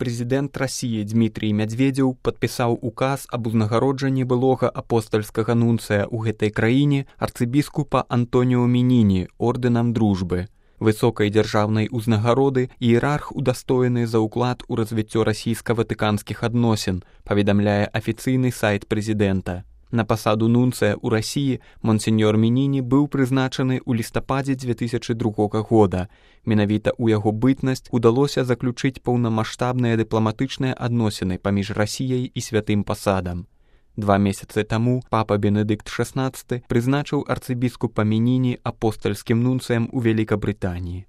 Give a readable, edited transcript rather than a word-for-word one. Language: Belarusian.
Прэзідэнт Расіі Дмітрий Мядзведзеў падпісаў указ аб узнагароджанні былога апостальскага нунцыя ў гэтай краіне арцыбіскупа Антоніо Меніні ордэнам дружбы. Высокай дзяржаўнай узнагароды іерарх удастоены за ўклад у развіццё расійска-ватыканскіх адносін, паведамляе афіцыйны сайт прэзідэнта. На пасаду нунцыя ў Расіі монсеньор Меніні быў прызначаны ў лістападзе 2002 года. Менавіта ў яго бытнасць удалося заключыць паўнамаштабныя дыпламатычныя адносіны паміж Расіяй і святым пасадам. 2 месяцы таму папа Бенедыкт XVI прызначыў арцыбіскупа Меніні апостальскім нунцыем у Вялікабрытаніі.